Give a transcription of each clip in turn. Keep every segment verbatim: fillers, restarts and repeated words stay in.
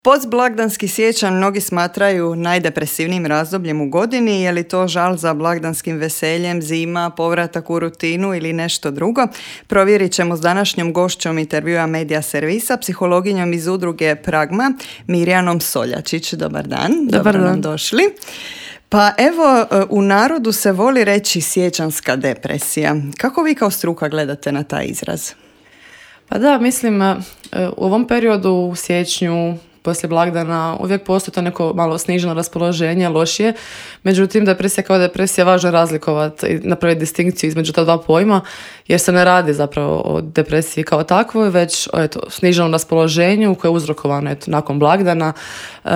Postblagdanski siječanj mnogi smatraju najdepresivnijim razdobljem u godini. Je li to žal za blagdanskim veseljem, zima, povratak u rutinu ili nešto drugo? Provjerit ćemo s današnjom gošćom intervjua Medija Servisa, psihologinjom iz udruge Pragma, Mirjanom Soljačić. Dobar dan. Dobar Dobro dan. nam došli. Pa evo, u narodu se voli reći siječanjska depresija. Kako vi kao struka gledate na taj izraz? Pa da, mislim, u ovom periodu u siječnju, poslije blagdana, uvijek postoji to neko malo sniženo raspoloženje, lošije. Međutim, depresija kao depresija važno je razlikovati i napraviti distinkciju između ta dva pojma, jer se ne radi zapravo o depresiji kao takvoj, već o eto, sniženom raspoloženju koje je uzrokovano eto, nakon blagdana. E,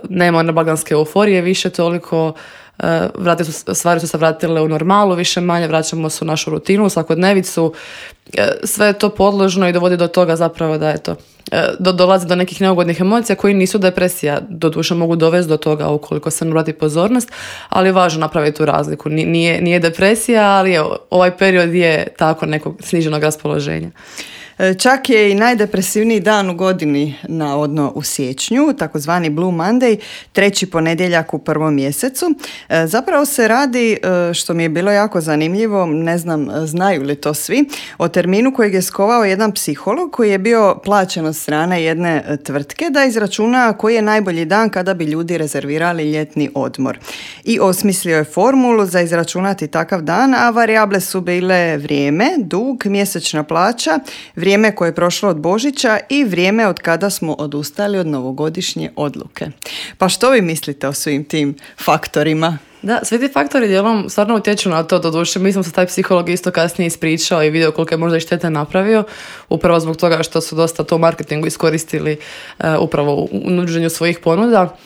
nema one blagdanske euforije više toliko. Vrati su, stvari su se vratile u normalu, više manje, vraćamo se u našu rutinu, u svakodnevicu. Sve je to podložno i dovodi do toga zapravo da eto, do, dolazi do nekih neugodnih emocija koji nisu depresija, doduše mogu dovesti do toga ukoliko se ne vrati pozornost, ali je važno napraviti tu razliku. Nije, nije depresija, ali evo, ovaj period je tako nekog sniženog raspoloženja. Čak je i najdepresivniji dan u godini navodno u siječnju, takozvani Blue Monday, treći ponedjeljak u prvom mjesecu. Zapravo se radi, što mi je bilo jako zanimljivo, ne znam znaju li to svi, o terminu kojeg je skovao jedan psiholog koji je bio plaćen od strane jedne tvrtke da izračuna koji je najbolji dan kada bi ljudi rezervirali ljetni odmor. I osmislio je formulu za izračunati takav dan, a varijable su bile vrijeme, dug, mjesečna plaća, vrijeme koje je prošlo od Božića i vrijeme od kada smo odustali od novogodišnje odluke. Pa što vi mislite o svim tim faktorima? Da, svi ti faktori dijelom stvarno utječu na to, doduše. Mi smo se taj psiholog isto kasnije ispričao i vidio koliko je možda i štete napravio, upravo zbog toga što su dosta to u marketingu iskoristili uh, upravo u nuđenju svojih ponuda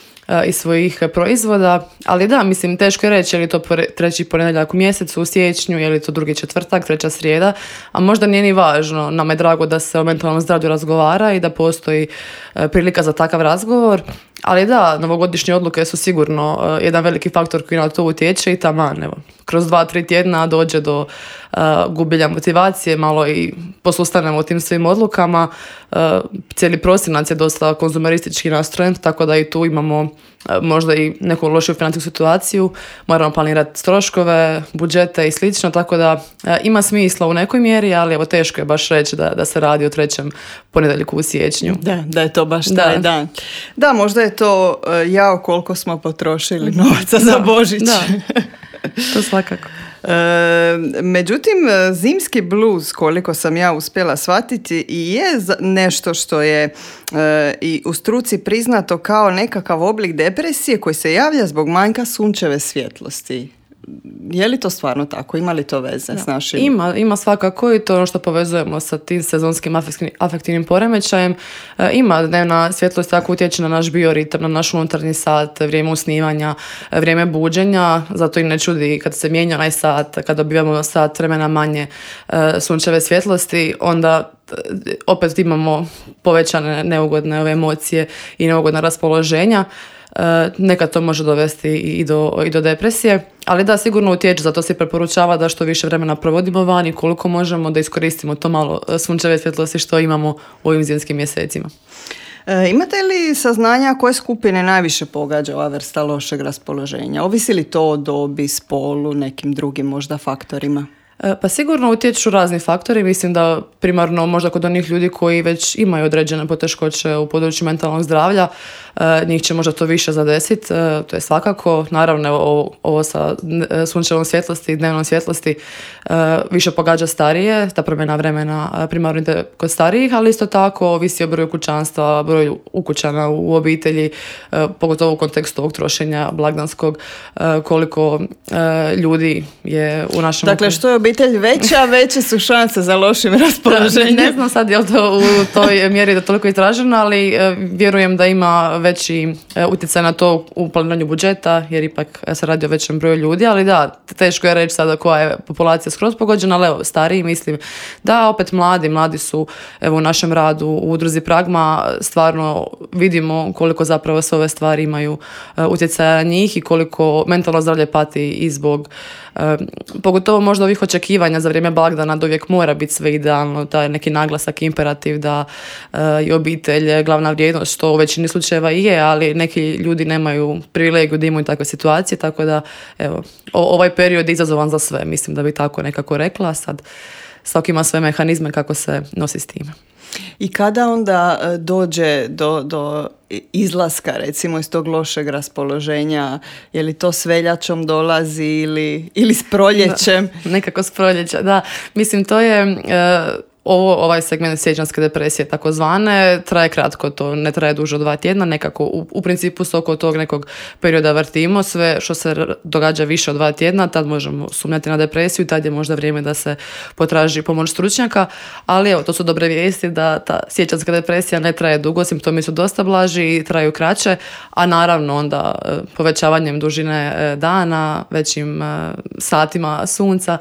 i svojih proizvoda, ali da, mislim, teško je reći je li to treći ponedjeljak u mjesecu, u siječnju, je li to drugi četvrtak, treća srijeda, a možda nije ni važno. Nama je drago da se o mentalnom zdravlju razgovara i da postoji prilika za takav razgovor, ali da, novogodišnje odluke su sigurno uh, jedan veliki faktor koji na to utječe i taman, evo, kroz dva, tri tjedna dođe do uh, gubljenja motivacije, malo i posustanemo u tim svim odlukama. Uh, cijeli prosinac je dosta konzumeristički nastrojen, tako da i tu imamo uh, možda i neku lošiju financijsku situaciju, moramo planirati troškove, budžete i slično, tako da uh, ima smisla u nekoj mjeri, ali evo teško je baš reći da, da se radi o trećem ponedjeljku u siječnju. Da, da je to baš taj da. dan. Da, možda je to uh, jao koliko smo potrošili novaca da, za Božić. Da, to svakako. E, međutim, zimski bluz, koliko sam ja uspjela shvatiti, i je nešto što je e, i u struci priznato kao nekakav oblik depresije koji se javlja zbog manjka sunčeve svjetlosti. Je li to stvarno tako? Ima li to veze da. s našim? Ima, ima svakako i to ono što povezujemo sa tim sezonskim afektivnim poremećajem. E, ima dnevna svjetlost tako utječe na naš bioritam, na naš unutarnji sat, vrijeme usnivanja, vrijeme buđenja, zato i ne čudi kad se mijenja onaj sat, kad dobivamo sat vremena manje e, sunčeve svjetlosti, onda opet imamo povećane neugodne ove emocije i neugodna raspoloženja. Uh, nekad to može dovesti i do, i do depresije, ali da, sigurno utječe, zato se preporučava da što više vremena provodimo vani, koliko možemo da iskoristimo to malo sunčeve svjetlosti što imamo u ovim zimskim mjesecima. E, imate li saznanja koje skupine najviše pogađa ova vrsta lošeg raspoloženja? Ovisi li to o dobi, spolu, nekim drugim možda faktorima? Pa sigurno utječu razni faktori, mislim da primarno možda kod onih ljudi koji već imaju određene poteškoće u području mentalnog zdravlja, njih će možda to više zadesiti, to je svakako, naravno ovo, ovo sa sunčevom svjetlosti i dnevnom svjetlosti više pogađa starije, ta promjena vremena primarno ide kod starijih, ali isto tako ovisi o broju kućanstva, broju ukućana u obitelji, pogotovo u kontekstu ovog trošenja blagdanskog, koliko ljudi je u našem... Dakle, što je obitelj veća, veće su šanse za lošim raspoloženjem. Ne znam sad je li to u toj mjeri da toliko istraženo, ali vjerujem da ima veći utjecaj na to u planiranju budžeta, jer ipak se radi o većem broju ljudi, ali da, teško je reći sada koja je populacija skroz pogođena, ali evo, stariji mislim da, opet mladi, mladi su evo u našem radu u udruzi Pragma, stvarno vidimo koliko zapravo sve ove stvari imaju utjecaja na njih i koliko mentalno zdravlje pati i zbog E, pogotovo možda ovih očekivanja za vrijeme blagdana da uvijek mora biti sve idealno, taj neki naglasak, imperativ da e, je obitelj glavna vrijednost, što u većini slučajeva i je, ali neki ljudi nemaju privilegiju da imaju takve situacije, tako da evo, o, ovaj period je izazovan za sve, mislim da bi tako nekako rekla, sad svaki ima sve mehanizme kako se nosi s time. I kada onda dođe do, do izlaska recimo iz tog lošeg raspoloženja, je li to s veljačom dolazi ili, ili s proljećem? Da, nekako s proljeća, da. Mislim, to je... Uh, Ovo, ovaj segment siječanjske depresije takozvane traje kratko, to ne traje duže od dva tjedna, nekako u, u principu se oko tog nekog perioda vrtimo, sve što se događa više od dva tjedna, tad možemo sumnjati na depresiju, tad je možda vrijeme da se potraži pomoć stručnjaka, ali evo, to su dobre vijesti da ta siječanjska depresija ne traje dugo, simptomi su dosta blaži i traju kraće, a naravno onda povećavanjem dužine dana, većim satima sunca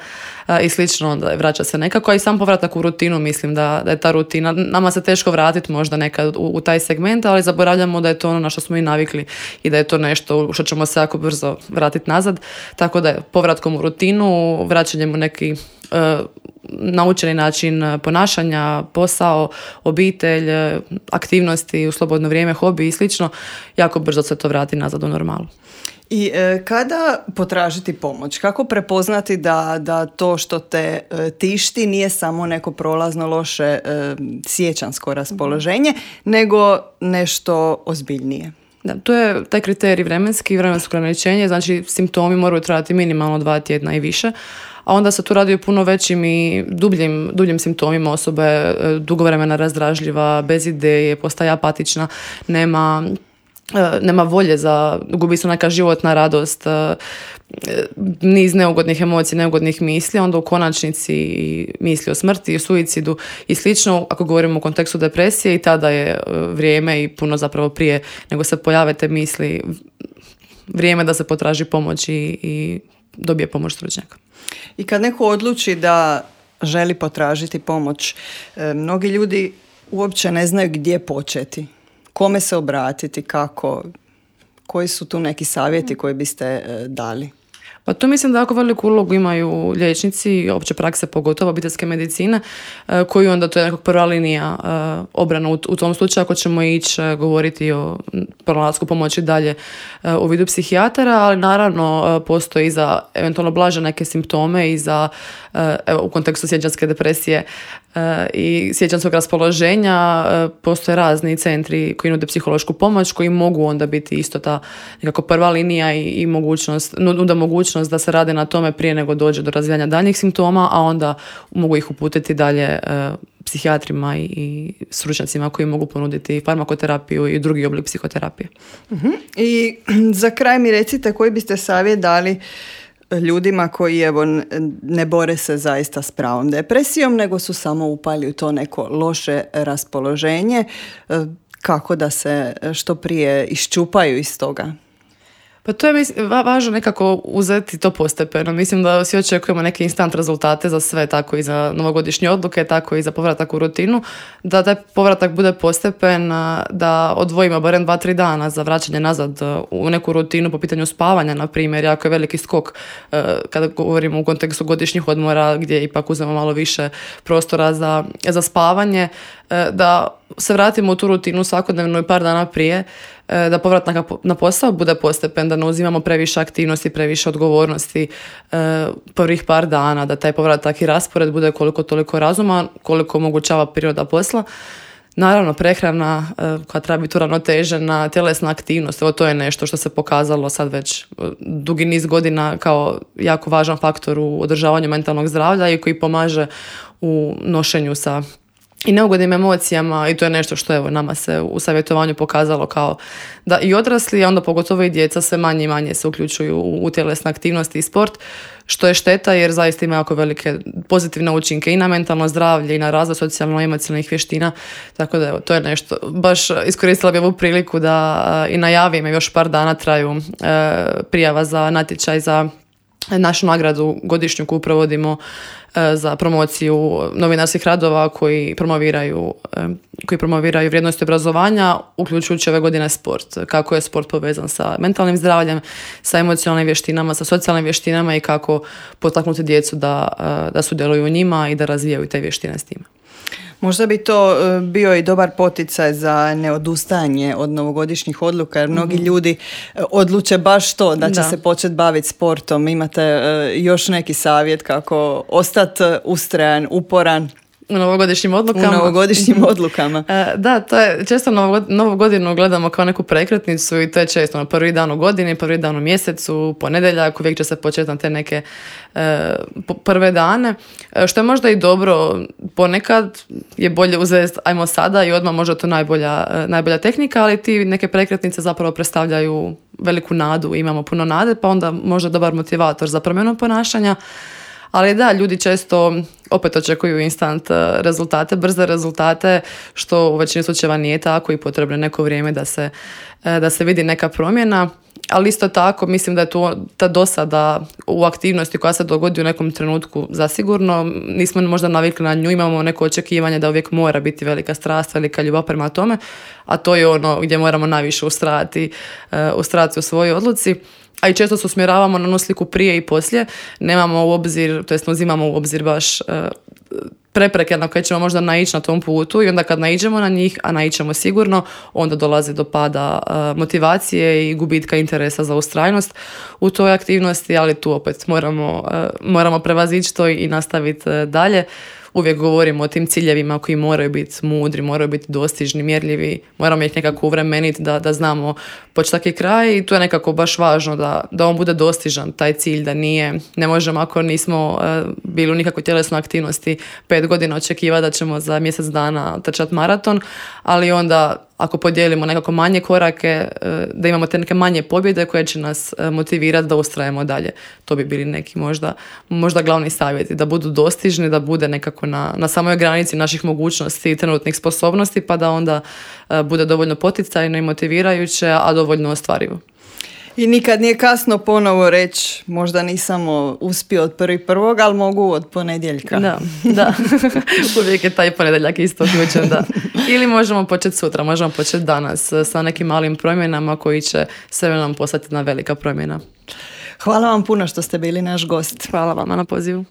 i slično, onda vraća se nekako, a i sam povratak u rutinu, mislim da, da je ta rutina, nama se teško vratiti možda nekad u, u taj segment, ali zaboravljamo da je to ono na što smo i navikli i da je to nešto što ćemo se jako brzo vratiti nazad, tako da je povratkom u rutinu, vraćanjem u neki uh, naučeni način ponašanja, posao, obitelj, aktivnosti u slobodno vrijeme, hobi i slično, jako brzo se to vrati nazad u normalu. I e, kada potražiti pomoć? Kako prepoznati da, da to što te e, tišti nije samo neko prolazno loše e, siječansko raspoloženje, nego nešto ozbiljnije? Da, to je taj kriterij vremenski, vremensko ograničenje, znači simptomi moraju trajati minimalno dva tjedna i više, a onda se tu radi o puno većim i dubljim, dubljim simptomima osobe, dugo vremena razdražljiva, bez ideje, postaje apatična, nema... nema volje za, gubi se neka životna radost, niz neugodnih emocija, neugodnih misli, onda u konačnici misli o smrti, o suicidu i slično, ako govorimo u kontekstu depresije, i tada je vrijeme i puno zapravo prije nego se pojave te misli, vrijeme da se potraži pomoć i, i dobije pomoć stručnjaka. I kad neko odluči da želi potražiti pomoć, mnogi ljudi uopće ne znaju gdje početi. Kome se obratiti, kako, koji su tu neki savjeti koje biste e, dali? Pa tu mislim da jako veliku ulogu imaju liječnici, opće prakse, pogotovo obiteljske medicine, e, koji onda to je nekako prva linija e, obrana u, u tom slučaju ako ćemo ići e, govoriti o pronalasku pomoći dalje e, u vidu psihijatara, ali naravno e, postoji i za eventualno blaže neke simptome i za e, evo, u kontekstu siječanjske depresije e, i siječanjskog raspoloženja e, postoje razni centri koji nude psihološku pomoć, koji mogu onda biti isto ta nekako prva linija i, i mogućnost, nude mogućnost da se rade na tome prije nego dođe do razvijanja daljnjih simptoma, a onda mogu ih uputiti dalje e, psihijatrima i, i stručnjacima koji mogu ponuditi farmakoterapiju i drugi oblik psihoterapije. Uh-huh. I za kraj mi recite koji biste savjet dali ljudima koji evo ne bore se zaista s pravom depresijom, nego su samo upali u to neko loše raspoloženje, kako da se što prije iščupaju iz toga? Pa to je mislim, važno nekako uzeti to postepeno. Mislim da svi očekujemo neke instant rezultate za sve, tako i za novogodišnje odluke, tako i za povratak u rutinu, da taj povratak bude postepen, da odvojimo barem dva tri dana za vraćanje nazad u neku rutinu po pitanju spavanja, na primjer, jako je veliki skok kada govorimo u kontekstu godišnjih odmora gdje ipak uzmemo malo više prostora za, za spavanje, da se vratimo u tu rutinu svakodnevno i par dana prije, da povratak na posao bude postepen, da ne uzimamo previše aktivnosti, previše odgovornosti prvih par dana, da taj povratak i raspored bude koliko toliko razuman, koliko omogućava priroda posla. Naravno, prehrana koja treba biti uravnotežena, tjelesna aktivnost, evo to je nešto što se pokazalo sad već dugi niz godina kao jako važan faktor u održavanju mentalnog zdravlja i koji pomaže u nošenju sa i neugodnim emocijama i to je nešto što evo nama se u savjetovanju pokazalo kao da i odrasli, a onda pogotovo i djeca sve manje i manje se uključuju u, u tjelesne aktivnosti i sport, što je šteta jer zaista ima jako velike pozitivne učinke i na mentalno zdravlje i na razvoj socijalno-emocionalnih vještina, tako da evo, to je nešto. Baš iskoristila bi ovu priliku da uh, i najavim, još par dana traju uh, prijava za natječaj za našu nagradu godišnju koju provodimo za promociju novinarskih radova koji promoviraju, koji promoviraju vrijednosti obrazovanja, uključujući ove godine sport. Kako je sport povezan sa mentalnim zdravljem, sa emocionalnim vještinama, sa socijalnim vještinama i kako potaknuti djecu da, da sudjeluju u njima i da razvijaju te vještine s time. Možda bi to bio i dobar poticaj za neodustajanje od novogodišnjih odluka, jer mnogi mm-hmm. ljudi odluče baš to, da će da. se početi baviti sportom. Imate još neki savjet kako ostati ustrajan, uporan? U novogodišnjim odlukama. U novogodišnjim odlukama. Da, to je često novu godinu gledamo kao neku prekretnicu i to je često na prvi dan u godini, prvi dan u mjesecu, ponedjeljak, uvijek će se početi na te neke e, prve dane. Što je možda i dobro, ponekad je bolje uzeti ajmo sada i odmah možda to najbolja, najbolja tehnika, ali ti neke prekretnice zapravo predstavljaju veliku nadu, imamo puno nade, pa onda možda dobar motivator za promjenu ponašanja. Ali da, ljudi često opet očekuju instant rezultate, brze rezultate, što u većini slučajeva nije tako i potrebno je neko vrijeme da se, da se vidi neka promjena. Ali isto tako mislim da je to ta dosada u aktivnosti koja se dogodi u nekom trenutku zasigurno. Nismo možda navikli na nju, imamo neko očekivanje da uvijek mora biti velika strast, velika ljubav prema tome, a to je ono gdje moramo najviše ustrajati, ustrajati u svojoj odluci. A i često se usmjeravamo na onu sliku prije i poslije, nemamo u obzir, to jest ne uzimamo u obzir baš uh, prepreke na koje ćemo možda naići na tom putu i onda kad naiđemo na njih, a naićemo sigurno, onda dolazi do pada uh, motivacije i gubitka interesa za ustrajnost u toj aktivnosti, ali tu opet moramo, uh, moramo prevazići to i nastaviti uh, dalje. Uvijek govorimo o tim ciljevima koji moraju biti mudri, moraju biti dostižni, mjerljivi, moramo ih nekako uvremeniti da, da znamo početak i kraj i tu je nekako baš važno da, da on bude dostižan, taj cilj, da nije, ne možemo ako nismo uh, bili u nikakvoj tjelesnoj aktivnosti pet godina očekivati da ćemo za mjesec dana trčati maraton, ali onda ako podijelimo nekako manje korake, da imamo te neke manje pobjede koje će nas motivirati da ustrajemo dalje. To bi bili neki možda, možda glavni savjeti, da budu dostižni, da bude nekako na, na samoj granici naših mogućnosti i trenutnih sposobnosti, pa da onda bude dovoljno poticajno i motivirajuće, a dovoljno ostvarivo. I nikad nije kasno ponovo reći, možda nisam uspio od prvi prvog, ali mogu od ponedjeljka. Da, da. Uvijek je taj ponedjeljak isto uključen, da. Ili možemo početi sutra, možemo početi danas sa nekim malim promjenama koji će sve nam postati jedna velika promjena. Hvala vam puno što ste bili naš gost. Hvala vama na pozivu.